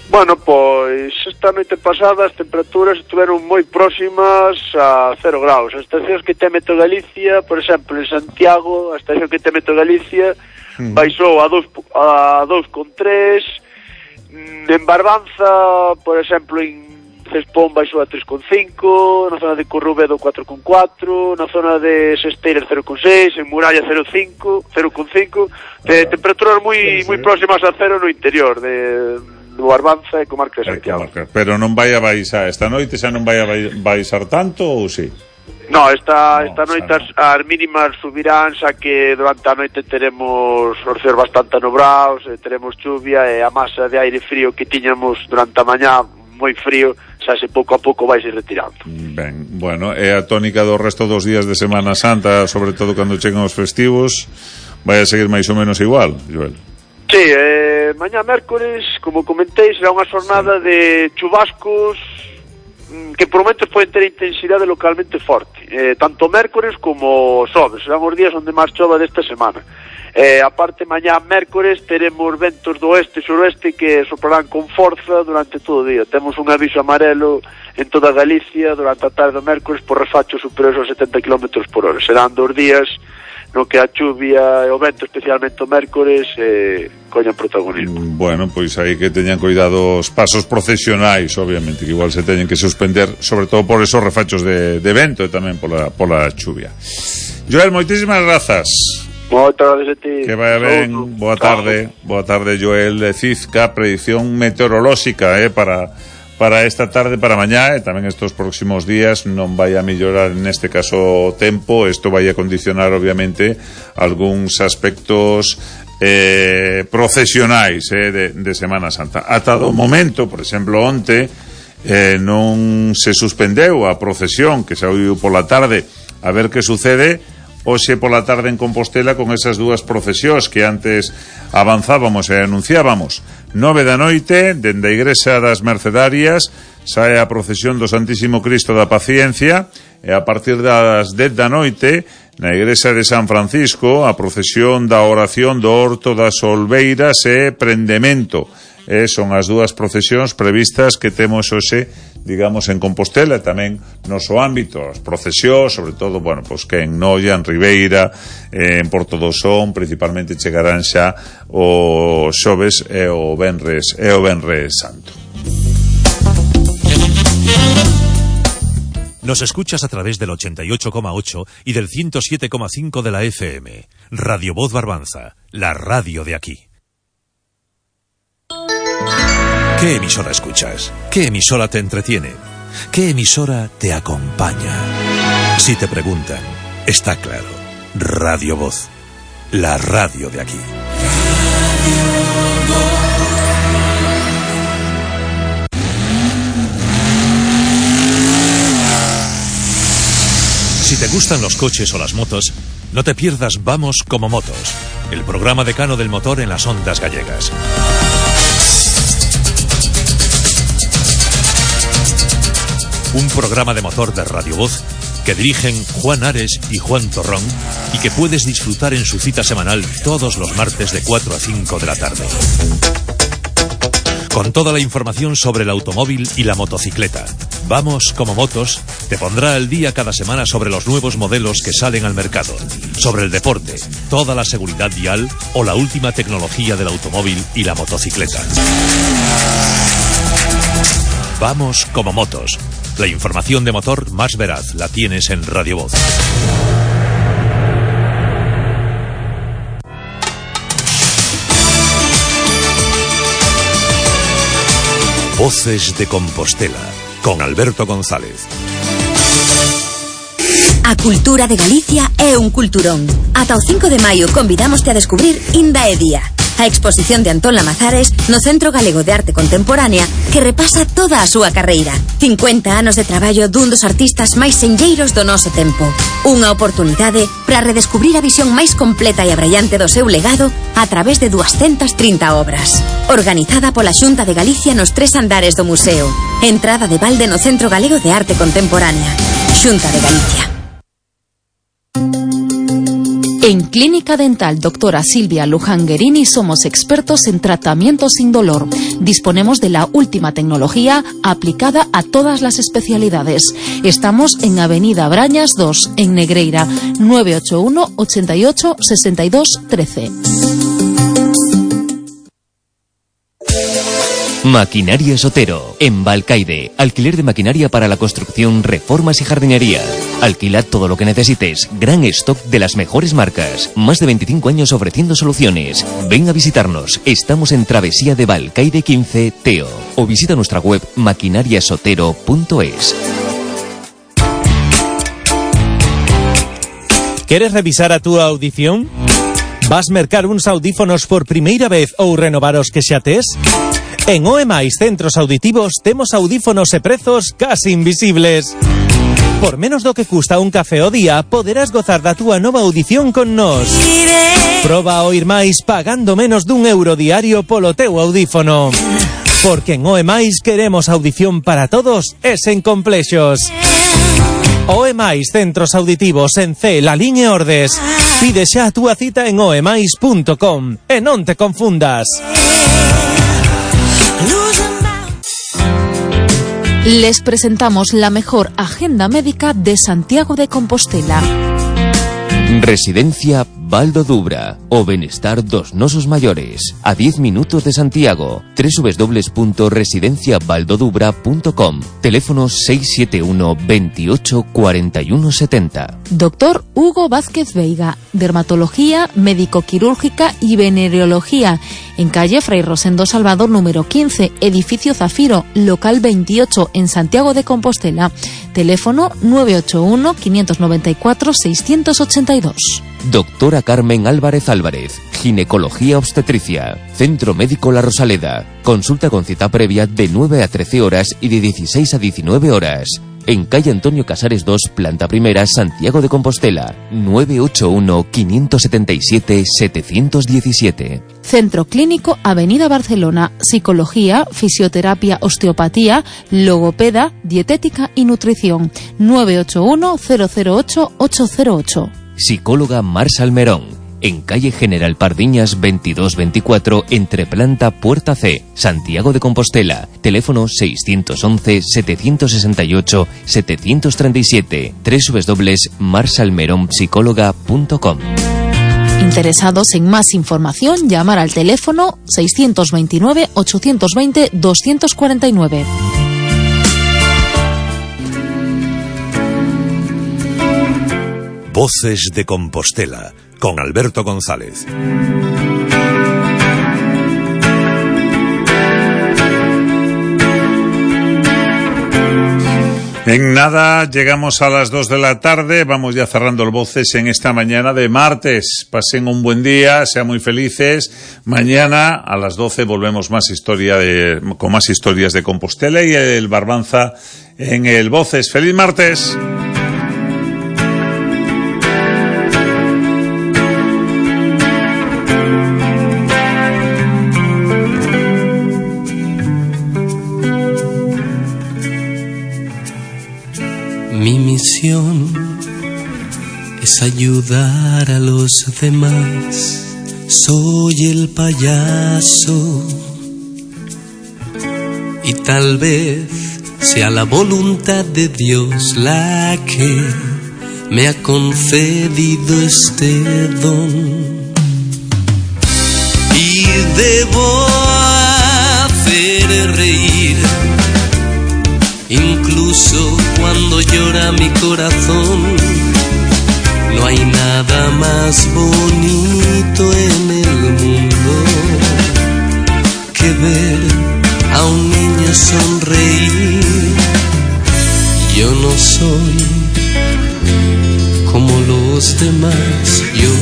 Bueno, pois esta noite pasada as temperaturas estiveron moi próximas a 0 graus. As estacións que ten Meteo Galicia, por exemplo, en Santiago, a estación que ten Meteo Galicia baixou a 2,3. En Barbanza, por exemplo, en Cespón baixou a 3,5, na zona de Corrubedo 4,4, na zona de Sesteiras 0,6, en Muralla 0,5, temperaturas moi próximas a 0 no interior de Barbanza e comarca de Santiago. Pero non vai a baixar esta noite, xa non vai a baixar tanto ou si? No, esta noite as mínimas subirán, xa que durante a noite teremos os céus bastante anobrados, teremos chuvia e a masa de aire frío que tiñamos durante a mañá moi frío, xa se pouco a pouco vai se retirando. Ben, bueno, é a tónica do resto dos días de Semana Santa, sobre todo cando chegan os festivos, vai a seguir máis ou menos igual, Joel. Sí, mañá mércores, como comentei, será unha xornada de chubascos que por momentos poden ter intensidade localmente forte, tanto mércores como xoves, serán os días onde máis chova desta semana. Aparte, mañá mércores teremos ventos do oeste e suroeste que soplarán con forza durante todo o día. Temos un aviso amarelo en toda Galicia durante a tarde do mércores por refachos superiores aos 70 km por hora. Serán 2 días no que a chuvia e o vento, especialmente o mércores, coñan protagonismo. Bueno, pois aí que teñan cuidado os pasos procesionais, obviamente, que igual se teñen que suspender, sobre todo por esos refachos de vento e tamén pola chuvia. Joel, moitísimas grazas. Moitas gracias a ti. Que vaya ben, boa tarde, Joel de Cizca, predicción meteorolóxica para esta tarde, para mañá e tamén estos próximos días. Non vai a mellorar neste caso o tempo, isto vai a condicionar obviamente algúns aspectos procesionais de Semana Santa. Ata do momento, por exemplo, onte non se suspendeu a procesión que se ouiu pola tarde, a ver que sucede hoxe pola tarde en Compostela con esas dúas procesións que antes avanzábamos e anunciábamos. 9 da noite, dende a Igrexa das Mercedarias, sae a procesión do Santísimo Cristo da Paciencia, e a partir das 10 da noite, na Igrexa de San Francisco, a procesión da Oración do Horto das Olveiras e Prendemento. Son as dúas procesións previstas que temos hoxe, digamos, en Compostela, e tamén noso ámbito, as procesións, sobre todo, bueno, pois que en Noia, en Ribeira, en Porto do Son, principalmente chegarán xa o xoves e o venres santo. Nos escuchas a través del 88,8 y del 107,5 de la FM. Radio Voz Barbanza, la radio de aquí. ¿Qué emisora escuchas? ¿Qué emisora te entretiene? ¿Qué emisora te acompaña? Si te preguntan, está claro. Radio Voz, la radio de aquí. Si te gustan los coches o las motos, no te pierdas Vamos como Motos, el programa decano del motor en las ondas gallegas. Un programa de motor de Radio Voz que dirigen Juan Ares y Juan Torrón y que puedes disfrutar en su cita semanal todos los martes de 4 a 5 de la tarde. Con toda la información sobre el automóvil y la motocicleta. Vamos como Motos te pondrá al día cada semana sobre los nuevos modelos que salen al mercado, sobre el deporte, toda la seguridad vial o la última tecnología del automóvil y la motocicleta. Vamos como Motos. La información de motor más veraz la tienes en Radio Voz. Voces de Compostela, con Alberto González. A cultura de Galicia é un culturón. Ata o 5 de maio convidámoste a descubrir Inda e Día, a exposición de Antón Lamazares no Centro Galego de Arte Contemporánea que repasa toda a súa carreira. 50 anos de traballo dun dos artistas máis senlleiros do noso tempo. Unha oportunidade para redescubrir a visión máis completa e abraiante do seu legado a través de 230 obras. Organizada pola Xunta de Galicia nos 3 andares do museo. Entrada de balde no Centro Galego de Arte Contemporánea. Xunta de Galicia. En Clínica Dental Doctora Silvia Luján Guerini somos expertos en tratamiento sin dolor. Disponemos de la última tecnología aplicada a todas las especialidades. Estamos en Avenida Brañas 2, en Negreira, 981 88 62 13. Maquinaria Sotero, en Balcaide. Alquiler de maquinaria para la construcción, reformas y jardinería. Alquila todo lo que necesites. Gran stock de las mejores marcas. Más de 25 años ofreciendo soluciones. Ven a visitarnos. Estamos en Travesía de Balcaide 15, Teo. O visita nuestra web maquinariasotero.es. ¿Quieres revisar a tu audición? Vas mercar uns audífonos por primeira vez ou renovar os que xa tes? En OEMAIS Centros Auditivos temos audífonos e prezos casi invisibles. Por menos do que custa un café ao día, poderás gozar da túa nova audición con nós. Proba a oír máis pagando menos d'€1 diario polo teu audífono. Porque en OEMAIS queremos audición para todos e sen complexos. OEMAIS Centros Auditivos en C, La Liñe Ordes. Pide xa a túa cita en oemais.com e non te confundas. Les presentamos la mejor agenda médica de Santiago de Compostela. Residencia Baldo Dubra, o benestar dos nosos maiores, a 10 minutos de Santiago. www.residenciabaldodubra.com. Teléfono 671 28 41 70. Doctor Hugo Vázquez Veiga, dermatología, médico-quirúrgica y venereología, en calle Fray Rosendo Salvador número 15, edificio Zafiro, local 28, en Santiago de Compostela. Teléfono 981 594 682. Doctora Carmen Álvarez Álvarez, ginecología obstetricia, Centro Médico La Rosaleda. Consulta con cita previa de 9 a 13 horas y de 16 a 19 horas. En calle Antonio Casares 2, planta primera, Santiago de Compostela. 981 577 717. Centro Clínico Avenida Barcelona. Psicología, fisioterapia, osteopatía, logopeda, dietética y nutrición. 981 008 808. Psicóloga Mar Salmerón, en calle General Pardiñas 2224, entre planta Puerta C, Santiago de Compostela. Teléfono 611 768 737. www.marsalmeronpsicóloga.com. Interesados en más información, llamar al teléfono 629 820 249. Voces de Compostela, con Alberto González. En nada llegamos a las 2 de la tarde, vamos ya cerrando el Voces en esta mañana de martes. Pasen un buen día, sean muy felices. Mañana a las 12 volvemos con más historias de Compostela y el Barbanza en el Voces. ¡Feliz martes! Mi misión es ayudar a los demás. Soy el payaso y tal vez sea la voluntad de Dios la que me ha concedido este don. Y debo hacer reír incluso cuando llora mi corazón. No hay nada más bonito en el mundo que ver a un niño sonreír. Yo no soy como los demás, yo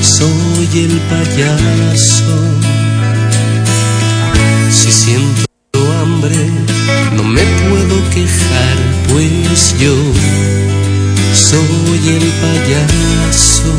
soy el payaso. Si siento hambre, no me puedo quejar, pues yo soy el payaso.